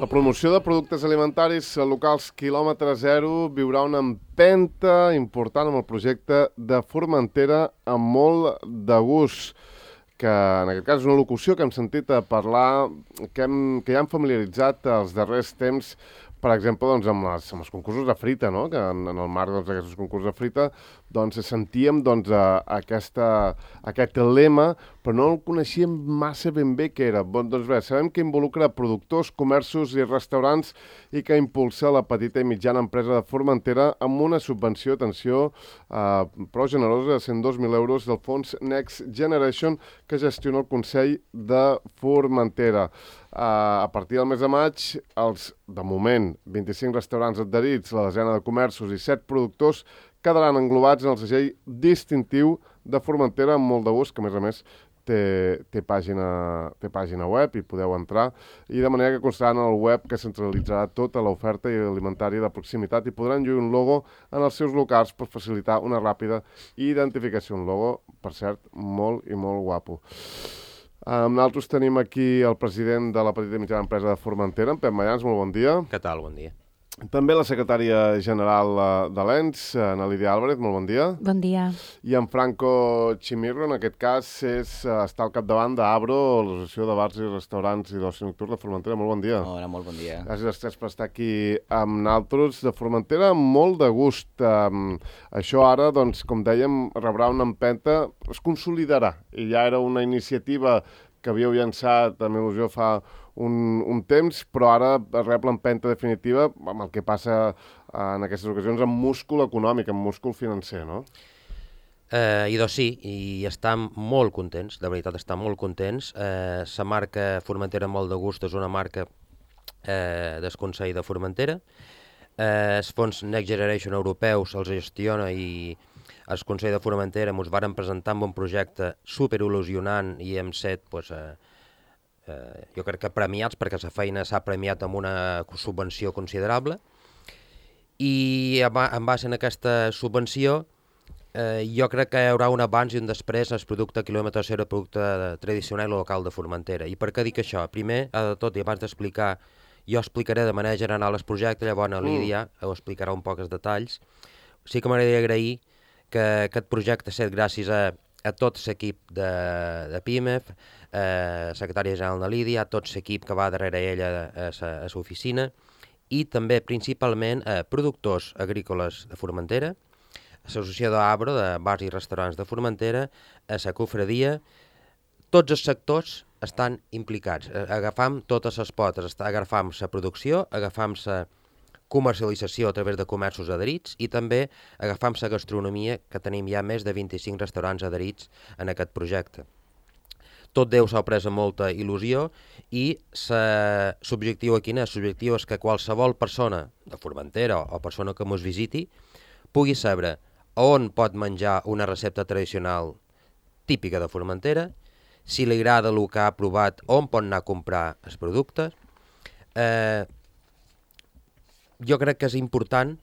La promoció de productes alimentaris locals quilòmetre zero viurà una empenta important amb el projecte de Formentera amb molt de gust, que en aquest cas és una locució que hem sentit a parlar, que ja hem familiaritzat els darrers temps, per exemple, doncs, amb els concursos de frita, no? Que en el marc d'aquests concursos de frita sentíem aquest lema, però no el coneixíem massa ben bé què era. Doncs bé, sabem que involucra productors, comerços i restaurants i que impulsa la petita i mitjana empresa de Formentera amb una subvenció, atenció, prou generosa de 102.000 euros del fons Next Generation que gestiona el Consell de Formentera. A partir del mes de maig, de moment, 25 restaurants adherits, la desena de comerços i 7 productors quedaran englobats en el segell distintiu de Formentera amb molt de gust, que a més té pàgina web i podeu entrar, i de manera que constarà en el web que centralitzarà tota l'oferta alimentària de proximitat i podran lluir un logo en els seus locals per facilitar una ràpida identificació. Un logo, per cert, molt i molt guapo. Nosaltres tenim aquí el president de la petita i mitjana empresa de Formentera, en Pep Mayans, molt bon dia. Què tal? Bon dia. També la secretària general de l'ENS, Ana Lídia Álvarez, molt bon dia. Bon dia. I en Franco Chimirro, en aquest cas, està al capdavant d'Abro, l'Associació de Bars i Restaurants i d'Oci Nocturn de Formentera. Molt bon dia. Hola, molt bon dia. Gràcies als tres per estar aquí amb nosaltres. De Formentera, molt de gust. Això ara, doncs, com dèiem, rebrà una empenta, es consolidarà. I ja era una iniciativa que havíeu llançat amb il·lusió fa un temps, però ara rep l'empenta definitiva amb el que passa en aquestes ocasions amb múscul econòmic, amb múscul financer, no? Sí, i estem molt contents, de veritat estem molt contents. La marca Formentera molt de gust és una marca del Consell de Formentera. Els fons Next Generation europeus els gestiona i el Consell de Formentera ens varen presentar amb un projecte superil·lusionant i hem set, jo crec que premiats, perquè la feina s'ha premiat amb una subvenció considerable. I en base a aquesta subvenció jo crec que hi haurà un abans i un després al producte quilòmetre zero, producte tradicional i local de Formentera. I per què dic això? Primer, de tot, i abans d'explicar, jo explicaré de manera general el projecte, llavors Lídia ho explicarà un poc els detalls. Sí que m'agradaria agrair que aquest projecte ha estat gràcies a tot l'equip de PIMEF, secretària general de Lídia, a tot l'equip que va darrere ella a l'oficina i també principalment a productors agrícoles de Formentera, a l'associació d'Abro, de bars i restaurants de Formentera, a la cofradia. Tots els sectors estan implicats, agafam totes les potes, agafam la producció, agafam la comercialització a través de comerços adherits i també agafam la gastronomia, que tenim ja més de 25 restaurants adherits en aquest projecte. Tot Déu s'ha pres amb molta il·lusió i l'objectiu aquí és, l'objectiu és que qualsevol persona de Formentera o persona que ens visiti pugui saber on pot menjar una recepta tradicional típica de Formentera, si li agrada el que ha provat, on pot anar a comprar els productes. Jo crec que és important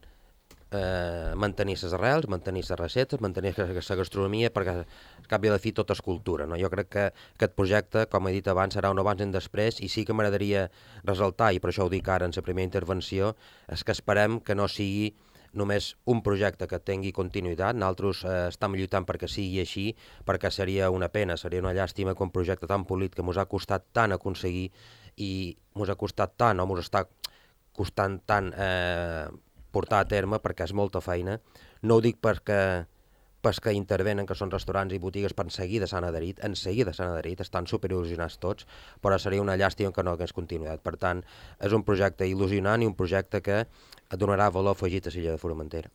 mantenir les arrels, mantenir les receptes, mantenir la gastronomia, perquè al cap i a la fi tot és cultura, no? Jo crec que aquest projecte, com he dit abans, serà un abans i un després, i sí que m'agradaria ressaltar, i per això ho dic ara en la primera intervenció, és que esperem que no sigui només un projecte que tingui continuïtat. Nosaltres estem lluitant perquè sigui així, perquè seria una pena, seria una llàstima que un projecte tan polit que ens ha costat tant aconseguir i ens ha costat tant, o ens està costant tant portar a terme, perquè és molta feina. No ho dic perquè intervenen, que són restaurants i botigues, per en seguida s'han adherit, estan superil·lusionats tots, però seria una llàstima que no hagués continuïtat. Per tant, és un projecte il·lusionant i un projecte que donarà valor afegit a l'illa de Formentera.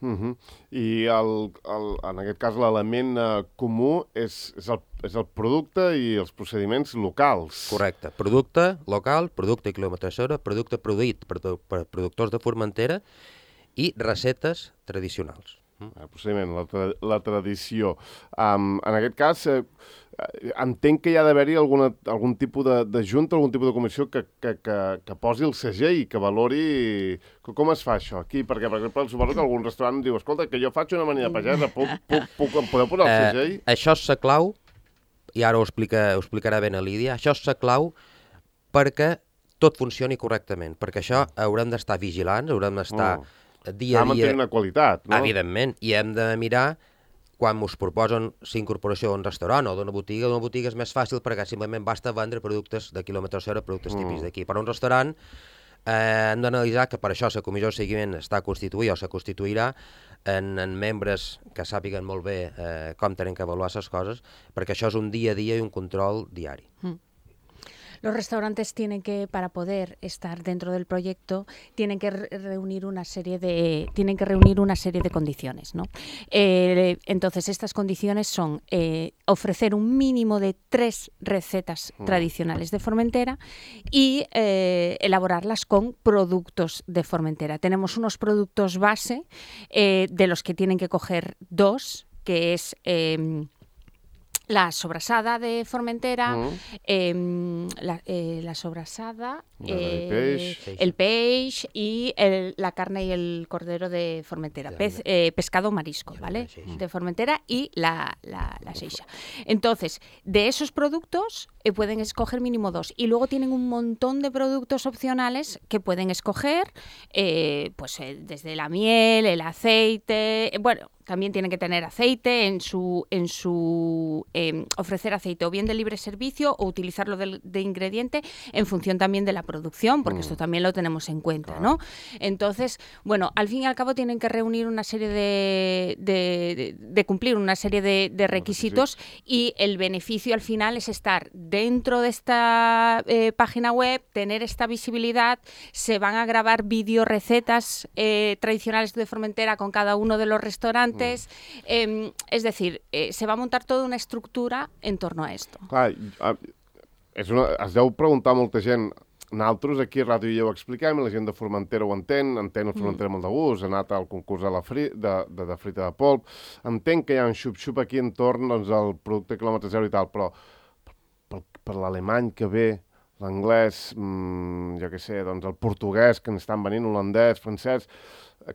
I en aquest cas l'element comú és el producte i els procediments locals. Correcte. Producte local, producte quilòmetre zero, producte produït per productors de Formentera i receptes tradicionals. El procediment, la tradició. En aquest cas, entenc que hi ha d'haver-hi algun tipus de junta, algun tipus de comissió que posi el segell, que valori... Com es fa això aquí? Perquè, per exemple, suposo que algun restaurant diu, escolta, que jo faig una amanida pagesa, em podeu posar el segell? Això és la clau, i ara ho explicarà ben a Lídia, això és la clau perquè tot funcioni correctament, perquè això haurem d'estar vigilants, haurem d'estar dia a dia... mantenir una qualitat, no? Evidentment, i hem de mirar quan us proposen l'incorporació d'un restaurant o d'una botiga és més fàcil perquè simplement basta vendre productes de quilòmetre zero, productes típics d'aquí. Per un restaurant hem d'analitzar que per això la comissió de seguiment està constituïda o se constituirà en membres que sàpiguen molt bé com tenen que avaluar les coses, perquè això és un dia a dia i un control diari. Los restaurantes tienen que, para poder estar dentro del proyecto, tienen que reunir una serie de condiciones, ¿no? Entonces, estas condiciones son ofrecer un mínimo de 3 recetas tradicionales de Formentera y elaborarlas con productos de Formentera. Tenemos unos productos base de los que tienen que coger 2, que es... la sobrasada de Formentera, la sobrasada, el peix y la carne y el cordero de Formentera, pescado marisco, ¿vale? De Formentera y la seixa. Entonces, de esos productos pueden escoger mínimo 2 y luego tienen un montón de productos opcionales que pueden escoger, desde la miel, el aceite, bueno, también tienen que tener aceite ofrecer aceite o bien de libre servicio o utilizarlo de ingrediente en función también de la producción, porque esto también lo tenemos en cuenta, ¿no? Entonces, bueno, al fin y al cabo tienen que reunir una serie de cumplir una serie de requisitos y el beneficio al final es estar dentro de esta página web, tener esta visibilidad, se van a grabar vídeo recetas tradicionales de Formentera con cada uno de los restaurantes. Es decir, se va a montar toda una estructura en torno a esto. Clar, es deu preguntar molta gent. Nosaltres aquí a Ràdio ja ho expliquem, la gent de Formentera ho entén el Formentera molt de gust, ha anat al concurs de frita de polp, entenc que hi ha un xup-xup aquí entorn al producte quilòmetre zero i tal, però per l'alemany que ve, l'anglès, jo què sé, doncs el portuguès que n'estan venint, holandès, francès...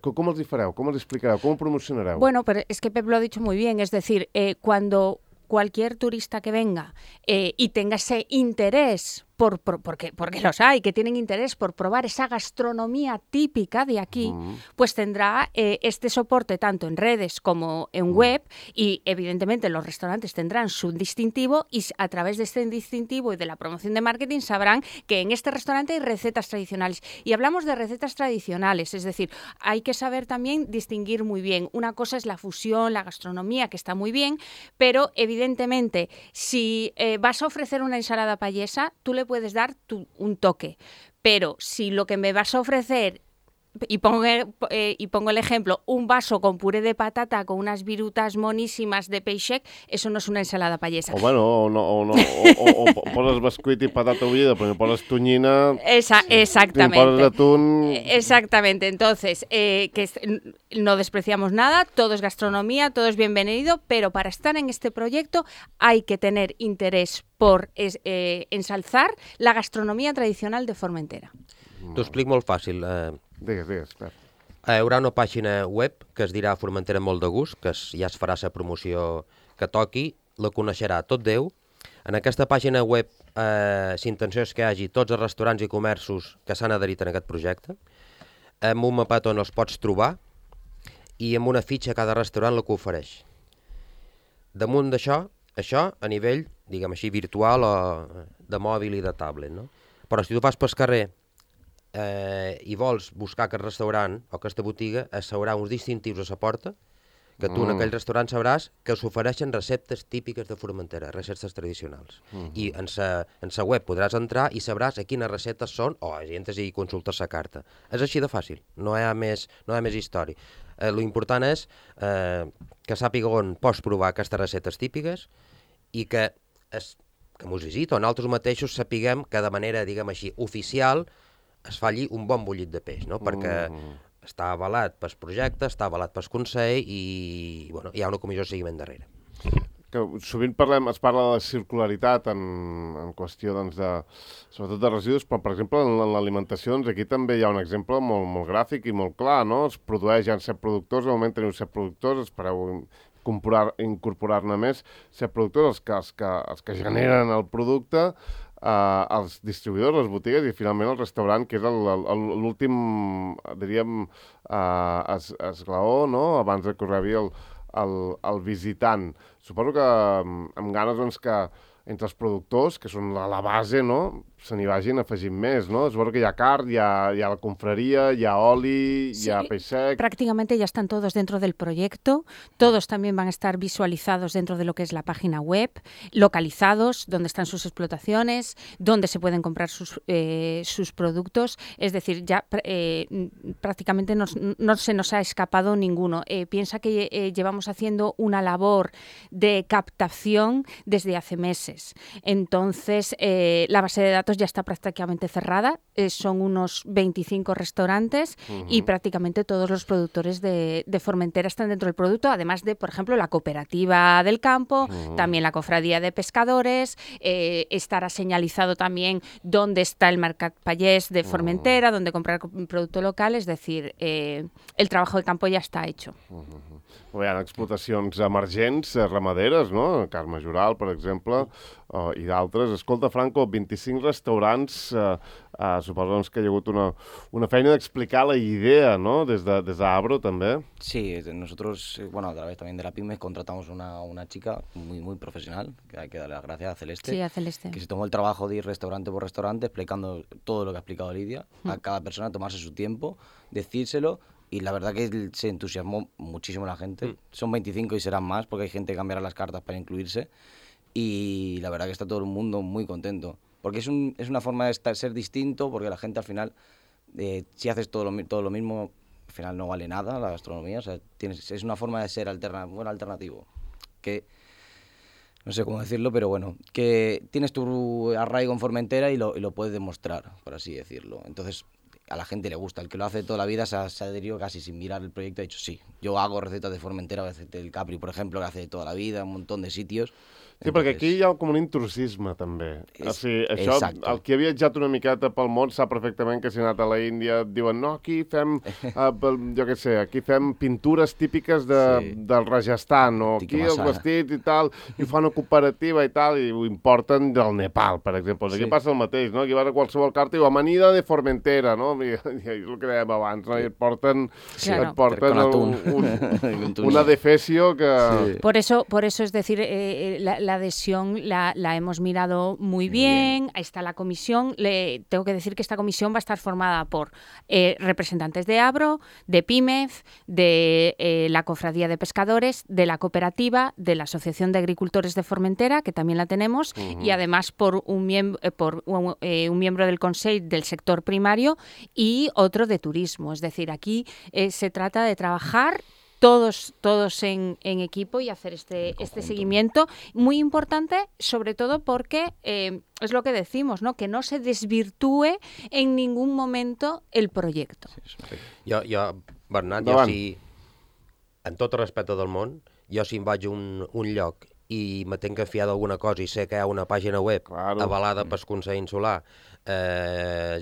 ¿Cómo els hi fareu? ¿Cómo els explicareu? ¿Cómo promocionareu? Bueno, pero es que Pep lo ha dicho muy bien, es decir, cuando cualquier turista que venga y tenga ese interés, porque los hay, que tienen interés por probar esa gastronomía típica de aquí, pues tendrá este soporte tanto en redes como en web y evidentemente los restaurantes tendrán su distintivo y a través de este distintivo y de la promoción de marketing sabrán que en este restaurante hay recetas tradicionales. Y hablamos de recetas tradicionales, es decir, hay que saber también distinguir muy bien. Una cosa es la fusión, la gastronomía, que está muy bien, pero evidentemente si vas a ofrecer una ensalada payesa, tú le puedes dar un toque, pero si lo que me vas a ofrecer, y pongo el ejemplo, un vaso con puré de patata con unas virutas monísimas de peixet, eso no es una ensalada payesa. O bueno, o poses bescuit y patata bullida, pero me pones tuñina... Exactamente. Me pones atún... Exactamente. Entonces, no despreciamos nada, todo es gastronomía, todo es bienvenido, pero para estar en este proyecto hay que tener interés por ensalzar la gastronomía tradicional de Formentera. T'ho explico molt fàcil. Digues, Pep. Hi haurà una pàgina web que es dirà Formentera molt de gust, que ja es farà la promoció que toqui, la coneixerà tot Déu. En aquesta pàgina web l'intenció és que hi hagi tots els restaurants i comerços que s'han adherit en aquest projecte, amb un mapat on els pots trobar i amb una fitxa a cada restaurant la que ofereix. Damunt d'això, això a nivell, diguem així, virtual o de mòbil i de tablet, no? Però si tu vas pel carrer i vols buscar aquest restaurant o aquesta botiga, es haurà uns distintius a la porta que tu en aquell restaurant sabràs que s'ofereixen receptes típiques de Formentera, receptes tradicionals. I en la web podràs entrar i sabràs a quines receptes són o entres i consultes la carta. És així de fàcil, no hi ha més història. L'important és que sàpiga on pots provar aquestes receptes típiques i que mos visita o nosaltres mateixos sapiguem que de manera, diguem així, oficial es falli un bon bullit de peix, no? Perquè està avalat pel projecte, està avalat pel Consell i bueno, hi ha una comissió de seguiment darrere. Que sovint es parla de circularitat en qüestió, doncs, sobretot de residus, però, per exemple, en l'alimentació, doncs, aquí també hi ha un exemple molt gràfic i molt clar, no? Es produeix, hi ha 7 productors, de moment teniu 7 productors, espereu incorporar-ne més, 7 productors, els que generen el producte, als distribuïdors, les botigues i finalment el restaurant, que és l'últim, diríem, esglaó, no?, abans que us rebi el visitant. Suposo que amb ganes doncs, que entre els productors, que són la base, no?, se n'hi vagin afegint més, ¿no? Supongo que hi ha carn, hi ha la confraria, hi ha oli, Sí, hi ha peix sec... prácticamente ya están todos dentro del proyecto, todos también van a estar visualizados dentro de lo que es la página web, localizados, donde están sus explotaciones, donde se pueden comprar sus productos, es decir, ya prácticamente no se nos ha escapado ninguno. Piensa que llevamos haciendo una labor de captación desde hace meses, entonces la base de datos ya está prácticamente cerrada, son unos 25 restaurantes y prácticamente todos los productores de Formentera están dentro del producto, además de, por ejemplo, la cooperativa del campo, también la cofradía de pescadores, estará señalizado también dónde está el Mercat Pallés de Formentera, dónde comprar producto local, es decir, el trabajo de campo ya está hecho. Hi ha explotacions emergents, ramaderes, no? Carme Jural, per exemple, i d'altres. Escolta, Franco, 25 restaurants, suposo doncs, que hi ha hagut una feina d'explicar la idea, ¿no?, des d'Abro, també. Sí, nosotros, bueno, a través también de la PYME contratamos una chica muy profesional, que hay que darle las gracias, a Celeste, Sí, a Celeste. que se tomó el trabajo de ir restaurante por restaurante explicando todo lo que ha explicado Lidia, a cada persona tomarse su tiempo, decírselo. Y la verdad que se entusiasmó muchísimo la gente. Son 25 y serán más, porque hay gente que cambiará las cartas para incluirse. Y la verdad que está todo el mundo muy contento. Porque es una forma de ser distinto, porque la gente al final, si haces todo lo mismo, al final no vale nada la gastronomía. O sea, es una forma de ser alternativo. Que no sé cómo decirlo, pero bueno, que tienes tu arraigo en Formentera y lo puedes demostrar, por así decirlo. Entonces, a la gente le gusta. El que lo hace toda la vida se ha adherido casi sin mirar el proyecto, ha dicho sí. Yo hago recetas de Formentera, recetas del Capri, por ejemplo, que hace toda la vida, un montón de sitios. Sí, perquè aquí hi ha com un intrusisme, també. O sigui, això, el que ha viatjat una miqueta pel món sap perfectament que si ha anat a la Índia et diuen no, aquí fem, jo què sé, aquí fem pintures típiques del Rajasthan, o aquí els vestits i tal, i ho fan una cooperativa i tal, i ho importen del Nepal, per exemple. Aquí passa el mateix, no? Aquí vas a qualsevol carta i diu amanida de Formentera, no? I és el que dèiem abans, no? I et porten una defecio que... Por eso es decir, la adhesión la hemos mirado muy bien. Ahí está la comisión. Tengo que decir que esta comisión va a estar formada por representantes de Abro, de PYMEF, de la Cofradía de Pescadores, de la cooperativa, de la Asociación de Agricultores de Formentera, que también la tenemos, y además por un miembro del Consell del sector primario y otro de turismo. Es decir, aquí se trata de trabajar todos en equipo y hacer este seguimiento muy importante, sobre todo porque es lo que decimos, ¿no?, que no se desvirtúe en ningún momento el proyecto. Jo Bernat, en tot el respecte del món, jo si em vaig a un lloc i me tenc que fiar d'alguna cosa i sé que hi ha una pàgina web avalada pel Consell Insular,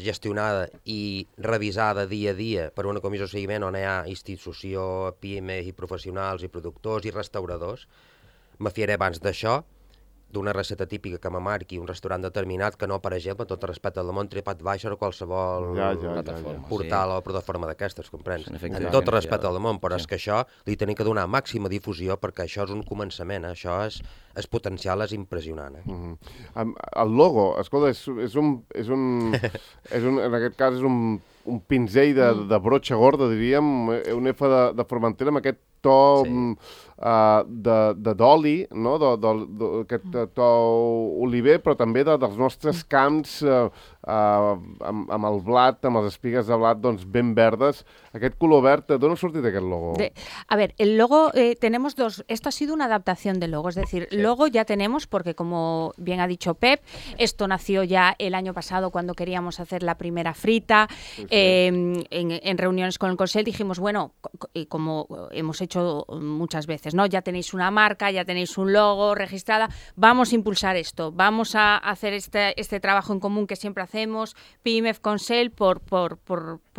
gestionada i revisada dia a dia per una comissió de seguiment on hi ha institució, pimes i professionals i productors i restauradors, me fiaré abans d'això, d'una recepta típica que me marqui un restaurant determinat que no, per exemple, tot el respecte del món TripAdvisor o qualsevol portal o plataforma d'aquestes, comprens? En tot el respecte del món, però és que això li tenim que donar màxima difusió perquè això és un començament, això és potencial, és impressionant. El logo, escolta, en aquest cas és un pinzell de brotxa gorda, diríem, un F de Formentera amb aquest to d'oli, no? Aquest to oliver, però també dels nostres camps amb el blat, amb les espigues de blat doncs ben verdes. Aquest color verd, d'on ha sortit aquest logo? A ver, el logo tenemos dos. Esto ha sido una adaptación del logo, es decir, logo ya tenemos porque, como bien ha dicho Pep, esto nació ya el año pasado cuando queríamos hacer la primera frita. En reuniones con el Consell dijimos, bueno, como hemos hecho muchas veces, dices, ¿no? Ya tenéis una marca, ya tenéis un logo registrada, vamos a impulsar esto, vamos a hacer este trabajo en común que siempre hacemos, PIMEF, Consell, por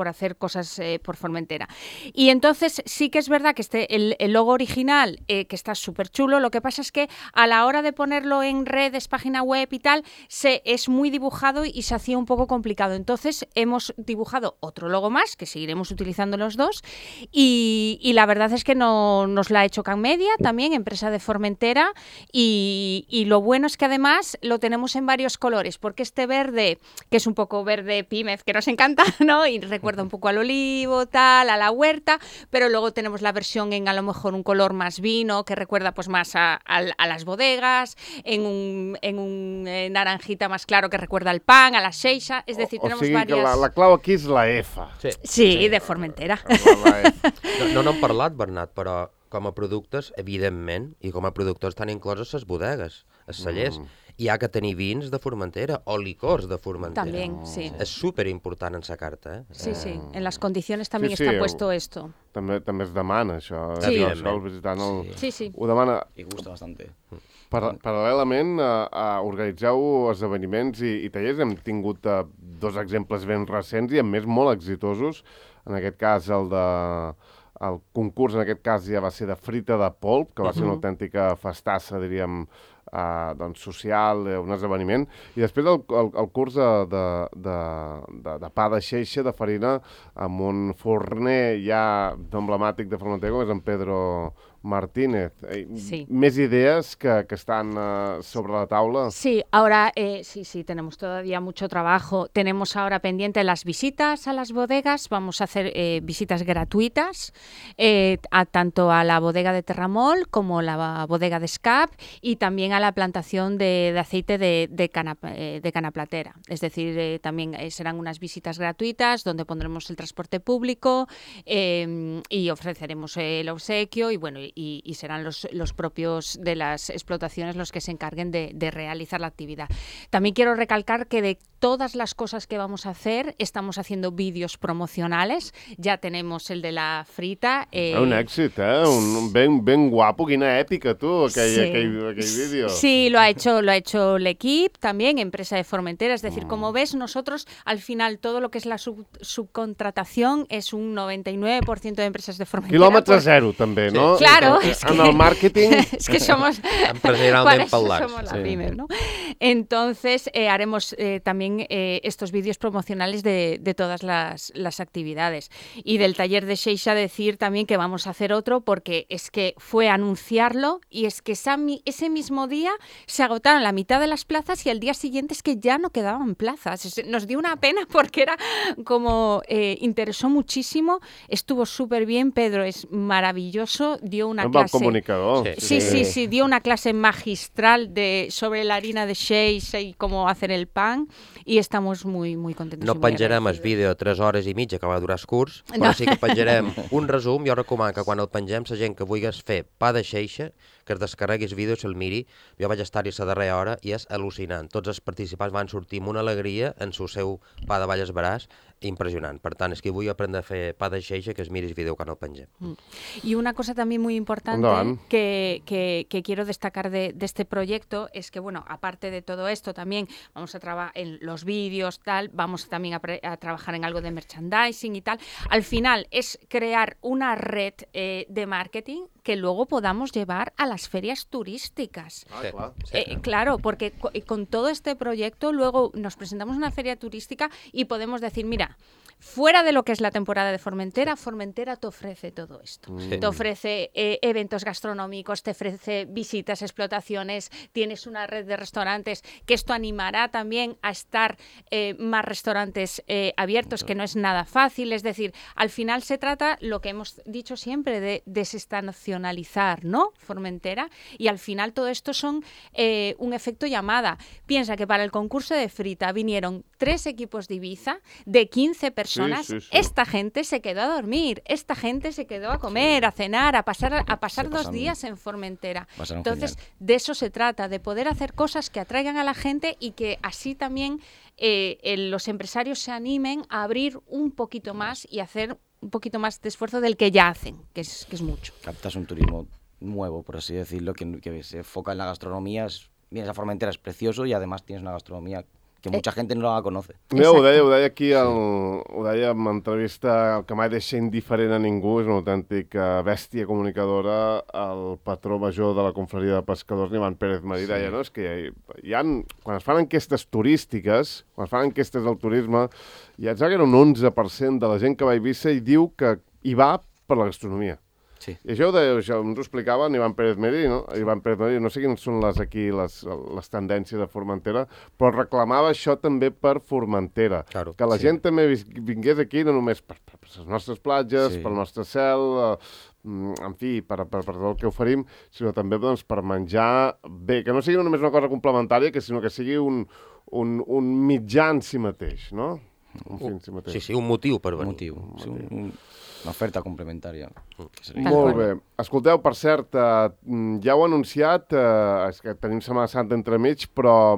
hacer cosas por Formentera. Y entonces sí que es verdad que el logo original, que está súper chulo, lo que pasa es que a la hora de ponerlo en redes, página web y tal, es muy dibujado y se hacía un poco complicado. Entonces hemos dibujado otro logo más, que seguiremos utilizando los dos, y la verdad es que nos la ha hecho Can Media, también empresa de Formentera, y lo bueno es que además lo tenemos en varios colores, porque este verde, que es un poco verde PIMEF, que nos encanta, ¿no? Y recuerda un poco al olivo, tal, a la huerta, pero luego tenemos la versión en a lo mejor un color más vino, que recuerda pues más a las bodegas, en un naranjita más claro que recuerda al pan, a la xeixa, es decir, tenemos varias... La clau aquí és la F. Sí, de Formentera. No n'hem parlat, Bernat, però com a productes, evidentment, i com a productors estan incloses les bodegues, els cellers. Hi ha que tenir vins de Formentera o licors de Formentera. También, sí. És superimportant en sa carta, Sí, sí. En las condiciones también está puesto esto. També es demana, això. Sí. Això el visitant Sí. ho demana. Y gusta bastante. Paral·lelament, organitzeu esdeveniments i tallers. Hem tingut 2 exemples ben recents i, a més, molt exitosos. En aquest cas, el concurs, en aquest cas, ja va ser de frita de polp, que va ser una autèntica festassa, diríem, doncs, social, un esdeveniment. I després el curs de pa de xeixa, de farina, amb un forner ja emblemàtic de Formentera, com és en Pedro Martínez. Sí. Més idees que están sobre la taula. Sí, ahora sí, tenemos todavía mucho trabajo. Tenemos ahora pendiente las visitas a las bodegas. Vamos a hacer visitas gratuitas, tanto a la bodega de Terramol como la bodega de Scap, y también a la plantación de aceite de canaplatera. Es decir, también serán unas visitas gratuitas donde pondremos el transporte público y ofreceremos el obsequio, y bueno, y serán los propios de las explotaciones los que se encarguen de realizar la actividad. También quiero recalcar que de todas las cosas que vamos a hacer, estamos haciendo vídeos promocionales. Ya tenemos el de la frita. Un èxit, ben guapo, quina èpica, tu, aquell vídeo. Sí, lo ha hecho l'Equip, también, empresa de Formentera. Es decir, como ves, nosotros, al final, todo lo que es la subcontratación es un 99% de empresas de Formentera. Quilòmetre zero, també, no? Claro. En el màrqueting... Es que somos... Empresarialment parlant. Somos la PIMEF, ¿no? Entonces, haremos también estos vídeos promocionales de todas las actividades. Y del taller de xeixa decir también que vamos a hacer otro, porque es que fue anunciarlo y es que ese mismo día se agotaron la mitad de las plazas y al día siguiente es que ya no quedaban plazas. Nos dio una pena porque era como... interesó muchísimo, estuvo súper bien, Pedro es maravilloso, dio una clase... comunicador. Sí, dio una clase magistral sobre la harina de xeixa y cómo hacer el pan, y estamos muy, muy contentos. No penjarem el vídeo 3 hores i mitja que va durar el curs, però sí que penjarem un resum. Jo recomano que quan el pengem, la gent que vulgui fer pa de xeixa, que es descarregui el vídeo i se'l miri. Jo vaig estar-hi a la darrera hora i és al·lucinant. Tots els participants van sortir amb una alegria en el seu pa de Valles Veràs, impresionant. Per tant, és que vull aprendre a fer pa de xeixa, que es miri el vídeo quan el pengem. Y una cosa también muy importante que quiero destacar de este proyecto es que, bueno, aparte de todo esto, también vamos a trabajar en los vídeos, tal, vamos también a trabajar en algo de merchandising y tal. Al final es crear una red de marketing que luego podamos llevar a las ferias turísticas. Claro, porque con todo este proyecto luego nos presentamos en una feria turística y podemos decir, mira, fuera de lo que es la temporada de Formentera, Formentera te ofrece todo esto. Te ofrece eventos gastronómicos, te ofrece visitas, explotaciones, tienes una red de restaurantes, que esto animará también a estar más restaurantes abiertos, que no es nada fácil. Es decir, al final se trata, lo que hemos dicho siempre, de desestacionalizar, ¿no? Formentera, y al final todo esto son un efecto llamada. Piensa que para el concurso de frita vinieron 3 equipos de Ibiza, de 15 personas. Sí. Esta gente se quedó a dormir, esta gente se quedó a comer, a cenar, a pasar 2 días en Formentera. Entonces, genial. De eso se trata, de poder hacer cosas que atraigan a la gente y que así también los empresarios se animen a abrir un poquito más y hacer un poquito más de esfuerzo del que ya hacen, que es mucho. Captas un turismo nuevo, por así decirlo, que se enfoca en la gastronomía. Vienes a Formentera, es precioso y además tienes una gastronomía que mucha gente no la conoce. Mira, ho deia aquí, ho deia en entrevista, que mai deixa indiferent a ningú, és una autèntica bèstia comunicadora, el patró major de la confraria de pescadors, Ivan Pérez Marí, deia, no? És que quan es fan enquestes turístiques, quan es fan enquestes del turisme, hi ha un 11% de la gent que va a Eivissa i diu que hi va per la gastronomia. Sí. I això ens ho explicava en Ivan Pérez Marí, no? Ivan Pérez Marí, no sé quines són les tendències de Formentera, però reclamava això també per Formentera. Claro, que la gent també vingués aquí no només per les nostres platges, pel nostre cel, en fi, per tot el que oferim, sinó també doncs, per menjar bé, que no sigui només una cosa complementària, sinó que sigui un mitjà en si mateix, no? Un fi en si mateix. Sí, un motiu per venir. Una oferta complementària. Molt bé. Escolteu, per cert, ja ho he anunciat, és que tenim Setmana Santa entremig, però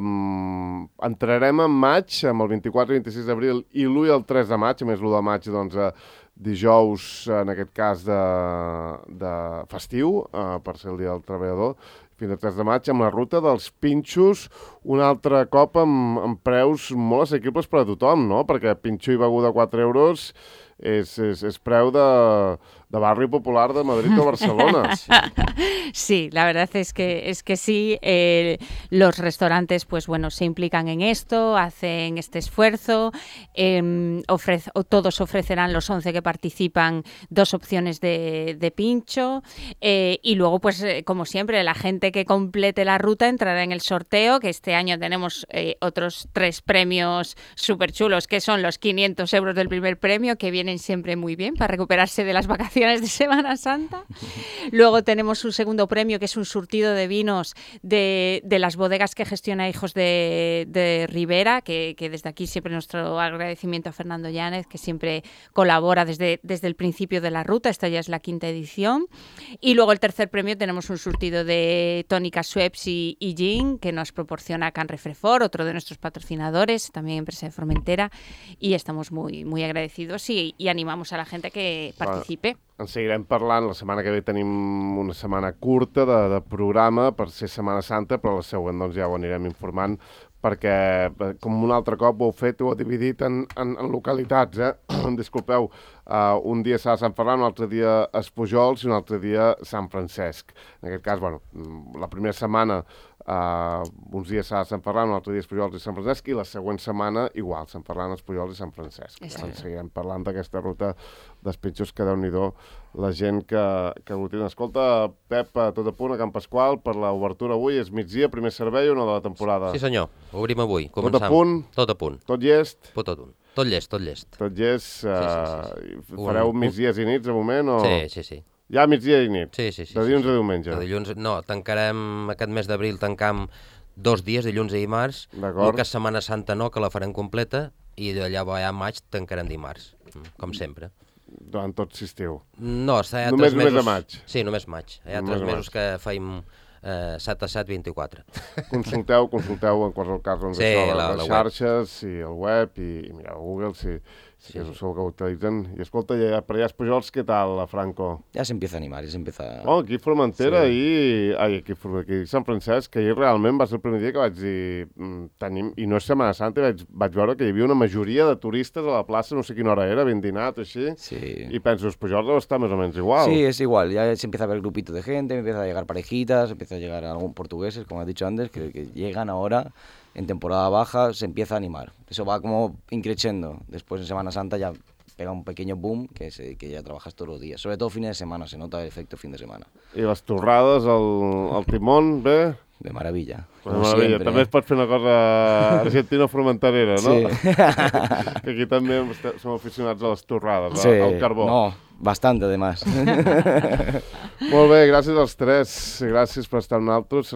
entrarem en maig, amb el 24 i 26 d'abril i l'1 i el 3 de maig, a més l'1 de maig, doncs, dijous, en aquest cas, de festiu, per ser el dia del treballador, fins al 3 de maig, amb la ruta dels pinxos, un altre cop amb preus molt assequibles per a tothom, no? Perquè pinxo i beguda 4 euros és preu de barri popular de Madrid o Barcelona. Sí, la verdad es que sí. Los restaurantes, pues bueno, se implican en esto, hacen este esfuerzo. Todos ofrecerán, los 11 que participan, 2 opciones de pincho. Y luego, pues como siempre, la gente que complete la ruta entrará en el sorteo, que este año tenemos otros 3 premios súper chulos, que son los 500 euros del primer premio, que vienen siempre muy bien para recuperarse de las vacaciones de Semana Santa. Luego tenemos un segundo premio, que es un surtido de vinos de las bodegas que gestiona Hijos de Ribera, que desde aquí siempre nuestro agradecimiento a Fernando Yáñez, que siempre colabora desde el principio de la ruta. Esta ya es la 5ª edición. Y luego el tercer premio tenemos un surtido de tónica Schweppes y gin, que nos proporciona Can Refrefor, otro de nuestros patrocinadores, también empresa de Formentera, y estamos muy, muy agradecidos y animamos a la gente que participe. En seguirem parlant. La setmana que ve tenim una setmana curta de programa per ser Setmana Santa, però la següent doncs, ja ho anirem informant, perquè com un altre cop ho heu fet, ho heu dividit en localitats, disculpeu, un dia serà Sant Ferran, un altre dia Espujols i un altre dia Sant Francesc. En aquest cas, bueno, la primera setmana uns dies serà Sant Ferran, un altre dia Espujols i Sant Francesc, i la següent setmana igual, Sant Ferran, Espujols i Sant Francesc. Seguirem parlant d'aquesta ruta dels pinxos, que Déu-n'hi-do la gent que aglutina. Escolta, Pep, tot a punt a Can Pasqual per l'obertura avui, és migdia, primer servei o no de la temporada? Sí senyor, obrim avui. Tot a punt? Tot a punt. Tot llest? Tot llest. Tot llest. Sí. Fareu migdies i nits de moment? O... Sí. Ja migdia i nit? Sí. De dilluns a diumenge? De dilluns, no, tancarem aquest mes d'abril, tancam 2 dies, dilluns i dimarts. D'acord. El que és Setmana Santa no, que la farem completa, i d'allà a maig tancarem dimarts, com sempre. Durant tot l'estiu? No, hi ha només 3 mesos... Només a maig? Sí, només maig. Hi ha 3 mesos que faim 7 a 7, 24. Consulteu en qualsevol cas doncs, les xarxes i el web i mireu Google si és el que utilitzen. I escolta, per allà Espujols, què tal, Franco? Ja s'empieza a animar, aquí a Formentera aquí a Sant Francesc, que ahir realment va ser el primer dia que vaig dir i no és Setmana Santa, vaig veure que hi havia una majoria de turistes a la plaça, no sé quina hora era, ben dinat o així, i penso, Espujols deu estar més o menys igual. Sí, es igual, ya se empieza a ver grupito de gente, empieza a llegar parejitas, empieza a llegar algún portugueses, como has dicho antes, que llegan ahora en temporada baja, se empieza a animar. Eso va como increciendo. Después en Semana Santa ya pega un pequeño boom que ya trabajas todos los días. Sobre todo fines de semana, se nota el efecto fin de semana. I les torrades, el timón, bé? De maravilla. De maravilla. Siempre, també es pot fer una cosa argentina-formenterera, no? Sí. Que aquí també som aficionats a les torrades, al carbó. No, bastante además. Molt bé, gràcies als tres. Gràcies per estar amb nosaltres.